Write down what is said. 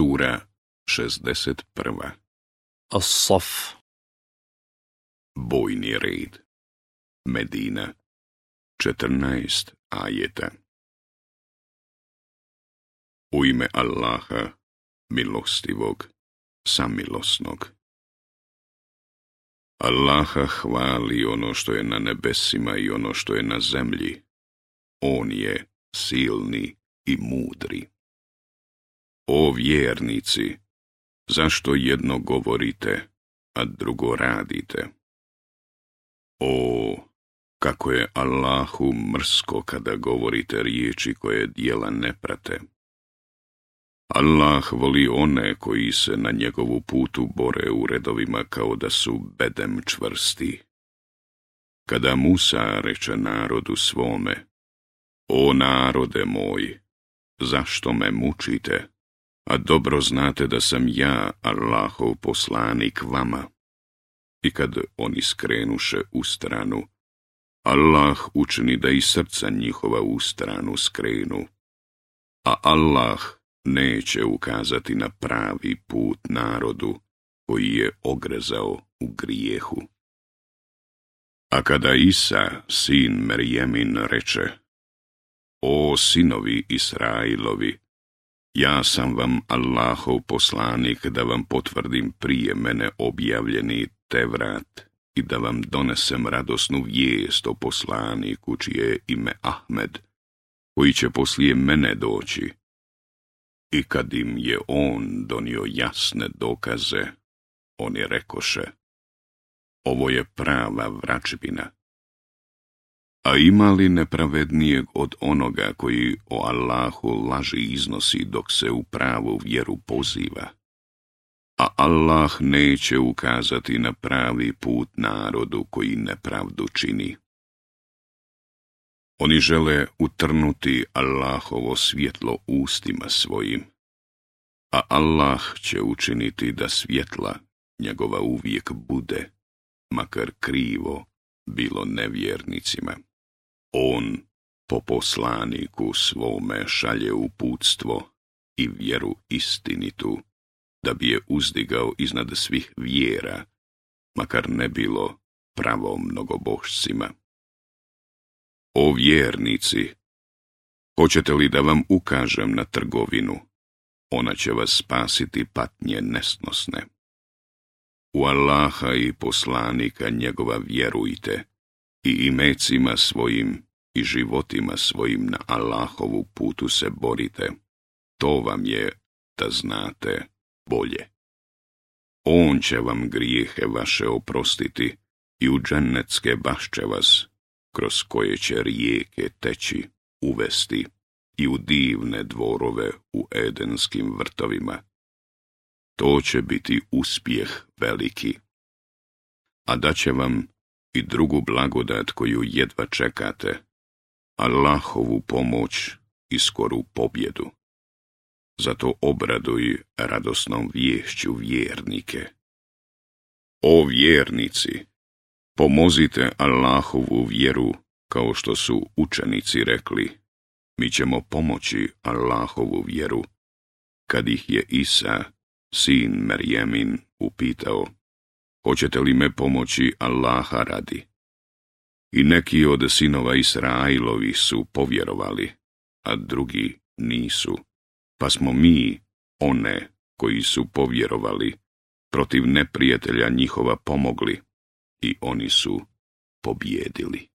Sura 61. As-Saf. Bojni red. Medina. 14 ajeta. U ime Allaha, milostivog, samilosnog. Allaha hvali ono što je na nebesima i ono što je na zemlji. On je silni i mudri. O vjernici, zašto jedno govorite, a drugo radite? O, kako je Allahu mrsko kada govorite riječi koje djela ne prate. Allah voli one koji se na njegovu putu bore u redovima kao da su bedem čvrsti. Kada Musa reče narodu svome: O narode moj, zašto me mučite, a dobro znate da sam ja Allahov poslanik vama? I kad oni skrenuše u stranu, Allah učini da i srca njihova u stranu skrenu, a Allah neće ukazati na pravi put narodu koji je ogrezao u grijehu. A kada Isa, sin Merjemin, reče: O sinovi Israilovi, ja sam vam Allahov poslanik da vam potvrdim prije mene objavljeni Tevrat i da vam donesem radosnu vijest o poslaniku čije je ime Ahmed, koji će poslije mene doći. I kad im je on donio jasne dokaze, oni rekoše: Ovo je prava vračbina. A ima li nepravednijeg od onoga koji o Allahu laži iznosi dok se u pravu vjeru poziva? A Allah neće ukazati na pravi put narodu koji nepravdu čini. Oni žele utrnuti Allahovo svjetlo ustima svojim, a Allah će učiniti da svjetla njegova uvijek bude, makar krivo bilo nevjernicima. On po poslaniku svome šalje uputstvo i vjeru istinitu, da bi je uzdigao iznad svih vjera, makar ne bilo pravom mnogobošcima. O vjernici, hoćete li da vam ukažem na trgovinu? Ona će vas spasiti patnje nesnosne. U Allaha i poslanika njegova vjerujte i imecima svojim i životima svojim na Allahovu putu se borite. To vam je, da znate, bolje. On će vam grijehe vaše oprostiti i u džennetske bašče vas, kroz koje će rijeke teći, uvesti i u divne dvorove u edenskim vrtovima. To će biti uspjeh veliki. A daće vam i drugu blagodat koju jedva čekate, Allahovu pomoć i skoru pobjedu. Zato obraduj radosnom viješću vjernike. O vjernici, pomozite Allahovu vjeru, kao što su učenici rekli: Mi ćemo pomoći Allahovu vjeru. Kad ih je Isa, sin Merjemin, upitao: Hoćete li me pomoći Allaha radi? I neki od sinova Israilovi su povjerovali, a drugi nisu. Pa smo mi, one koji su povjerovali, protiv neprijatelja njihova pomogli i oni su pobjedili.